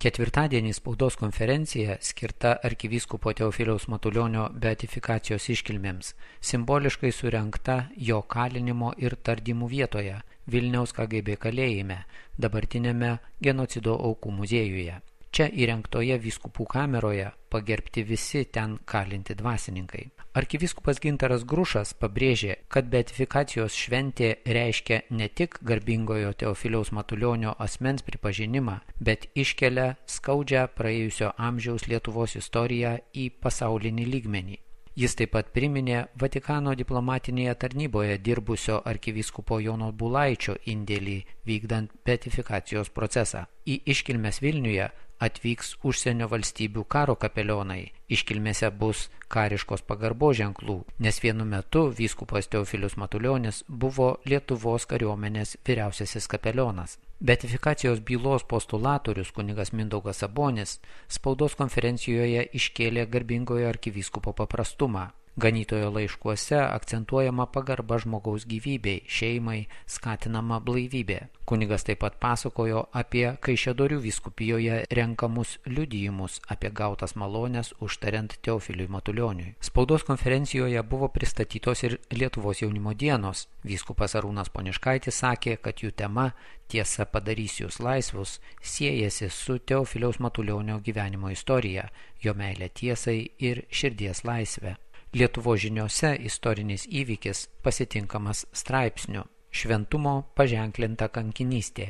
Ketvirtadienį spaudos konferencija skirta arkivyskupo Teofiliaus Matulionio beatifikacijos iškilmėms, simboliškai surengta jo kalinimo ir tardymų vietoje Vilniaus KGB kalėjime, dabartinėme genocido aukų muziejuje. Čia įrengtoje vyskupų kameroje pagerbti visi ten kalinti dvasininkai. Arkivyskupas Gintaras Grušas pabrėžė, kad beatifikacijos šventė reiškia ne tik garbingojo Teofiliaus Matulionio asmens pripažinimą, bet iškelia skaudžią praėjusio amžiaus Lietuvos istoriją į pasaulinį lygmenį. Jis taip pat priminė Vatikano diplomatinėje tarnyboje dirbusio arkivyskupo Jono Bulaičio indėlį vykdant beatifikacijos procesą. Į iškilmes Vilniuje atvyks užsienio valstybių karo kapelionai. Iškilmėse bus kariškos pagarbos ženklų, nes vienu metu vyskupas Teofilius Matulionis buvo Lietuvos kariuomenės vyriausiasis kapelionas. Beatifikacijos bylos postulatorius kunigas Mindaugas Sabonis spaudos konferencijoje iškėlė garbingojo arkivyskupo paprastumą. Ganytojo laiškuose akcentuojama pagarba žmogaus gyvybei, šeimai, skatinama blaivybė. Kunigas taip pat pasakojo apie Kaišiadorių vyskupijoje renkamus liudijimus apie gautas malones užtariant Teofiliui Matulioniui. Spaudos konferencijoje buvo pristatytos ir Lietuvos jaunimo dienos. Vyskupas Arūnas Poniškaitis sakė, kad jų tema "Tiesa padarys jūs laisvus" siejasi su Teofiliaus Matulionio gyvenimo istorija, jo meilė tiesai ir širdies laisvė. Lietuvos žiniose istorinis įvykis pasitinkamas straipsniu "Šventumo paženklinta kankinystė".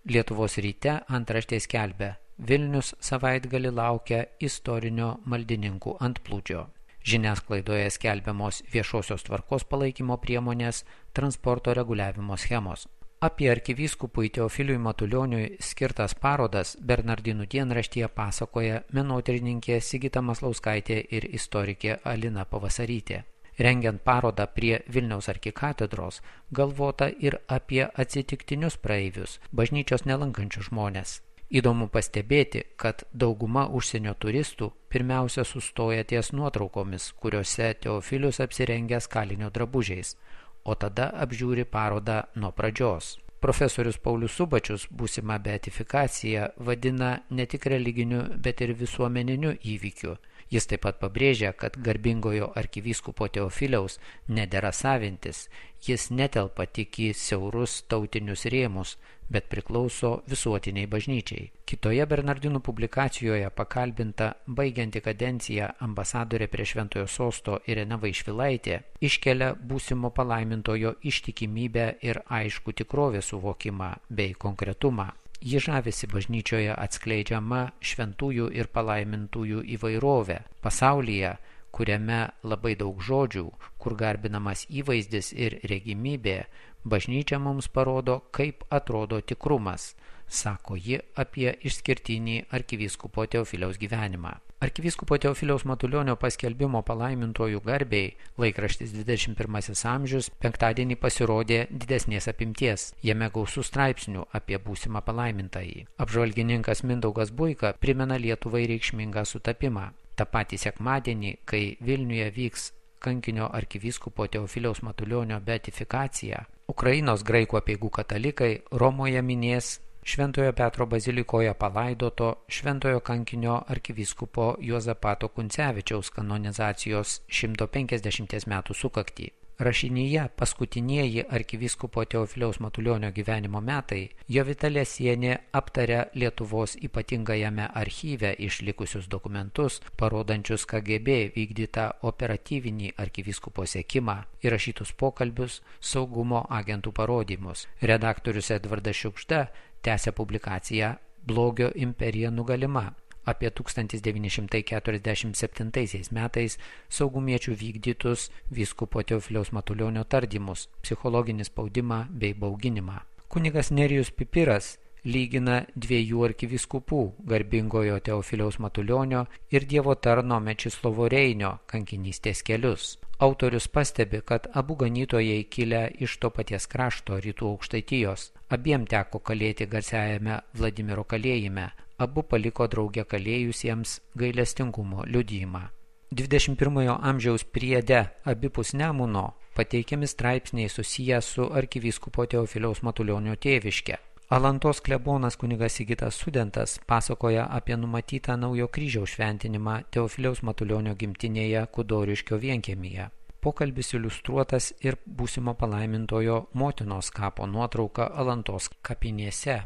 Lietuvos ryte antraštė skelbia: Vilnius savaitgalį laukia istorinio maldininkų antplūdžio. Žiniasklaidoje skelbiamos viešosios tvarkos palaikymo priemonės, transporto reguliavimo schemos. Apie arkivyskupui Teofiliui Matulioniui skirtas parodas Bernardinų dienraštyje pasakoja menotyrininkė Sigita Maslauskaitė ir istorikė Alina Pavasarytė. Rengiant parodą prie Vilniaus arkikatedros, galvota ir apie atsitiktinius praeivius, bažnyčios nelankančius žmonės. Įdomu pastebėti, kad dauguma užsienio turistų pirmiausia sustoja ties nuotraukomis, kuriuose Teofilius apsirengęs kalinio drabužiais, o tada apžiūri parodą nuo pradžios. Profesorius Paulius Subačius būsimą beatifikaciją vadina ne tik religiniu, bet ir visuomeniniu įvykiu. Jis taip pat pabrėžia, kad garbingojo arkivyskupo Teofiliaus nedera savintis, jis netelpa tik į siaurus tautinius rėmus, bet priklauso visuotiniai bažnyčiai. Kitoje Bernardinų publikacijoje pakalbinta baigianti kadenciją ambasadorė prie Šventojo sosto Irena Vaišvilaitė iškelia būsimo palaimintojo ištikimybę ir aišku tikrovės suvokimą bei konkretumą. Ji žavisi bažnyčioje atskleidžiama šventųjų ir palaimintųjų įvairovė pasaulyje, kuriame labai daug žodžių, kur garbinamas įvaizdis ir regimybė, bažnyčia mums parodo, kaip atrodo tikrumas, sako ji apie išskirtinį arkivyskupo Teofiliaus gyvenimą. Arkivyskupo Teofiliaus Matulionio paskelbimo palaimintojų garbei laikraštis 21 amžius penktadienį pasirodė didesnės apimties. Jame gausų straipsnių apie būsimą palaimintąjį. Apžvalgininkas Mindaugas Buika primena Lietuvai reikšmingą sutapimą. Ta patį sekmadienį, kai Vilniuje vyks kankinio arkivyskupo Teofiliaus Matulionio beatifikacija, Ukrainos graikų apeigų katalikai Romoje minės Šventojo Petro bazilikoje palaidoto šventojo kankinio arkivyskupo Juozapato Kuncevičiaus kanonizacijos 150 metų sukaktį. Rašinyje paskutinieji arkivyskupo Teofiliaus Matulionio gyvenimo metai Jovita Lesienė aptaria Lietuvos ypatingajame archyve išlikusius dokumentus, parodančius KGB vykdytą operatyvinį arkivyskupo sekimą, įrašytus pokalbius, saugumo agentų parodymus. Redaktorius Edvardas Šiukšta tęsia publikaciją "Blogio imperija nugalima" apie 1947 metais saugumiečių vykdytus vyskupo Teofiliaus Matulionio tardymus, psichologinį spaudimą bei bauginimą. Kunigas Nerijus Pipiras lygina dviejų arkivyskupų, garbingojo Teofiliaus Matulionio ir Dievo tarno Mečislovo Reinio kankinystės kelius. Autorius pastebi, kad abu ganytojai kilę iš to paties krašto Rytų Aukštaitijos. Abiem teko kalėti garsiajame Vladimiro kalėjime. Abu paliko drauge kalėjusiems gailestingumo liudijimą. 21 amžiaus priede abipus Nemuno pateikiami straipsniai susiję su arkivyskupo Teofiliaus Matulionio tėviške. Alantos klebonas kunigas Sigitas Sudentas pasakoja apie numatytą naujo kryžiaus šventinimą Teofiliaus Matulionio gimtinėje Kudoriškio vienkiemyje. Pokalbis iliustruotas ir būsimo palaimintojo motinos kapo nuotrauka Alantos kapinėse.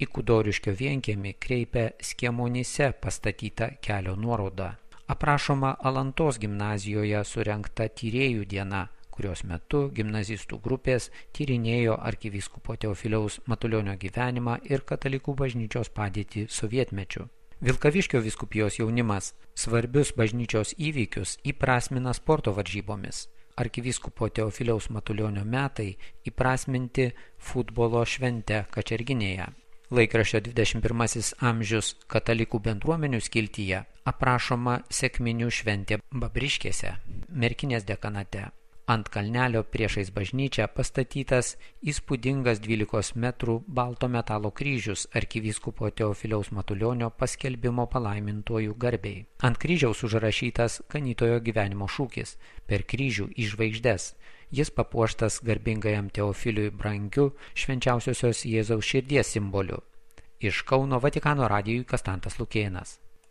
Į Kudoriškio vienkiemį kreipia Skiemonyse pastatyta kelio nuoroda. Aprašoma Alantos gimnazijoje surengta tyrėjų diena, kurios metu gimnazistų grupės tyrinėjo arkivyskupo Teofiliaus Matulionio gyvenimą ir katalikų bažnyčios padėtį sovietmečiu. Vilkaviškio vyskupijos jaunimas svarbius bažnyčios įvykius įprasmina sporto varžybomis. Arkivyskupo Teofiliaus Matulionio metai įprasminti futbolo švente Kačerginėje. Laikraščio 21 amžius katalikų bendruomenių skiltyje aprašoma sekminių šventė Babriškėse, Merkinės dekanate. Ant kalnelio priešais bažnyčią pastatytas įspūdingas 12 metrų balto metalo kryžius arkivyskupo Teofiliaus Matulionio paskelbimo palaimintojų garbei. Ant kryžiaus užrašytas ganytojo gyvenimo šūkis per kryžių į žvaigždes. Jis papuoštas garbingajam Teofiliui brangiu švenčiausiosios Jėzaus širdies simboliu. Iš Kauno Vatikano radijui Kastantas Lukėnas.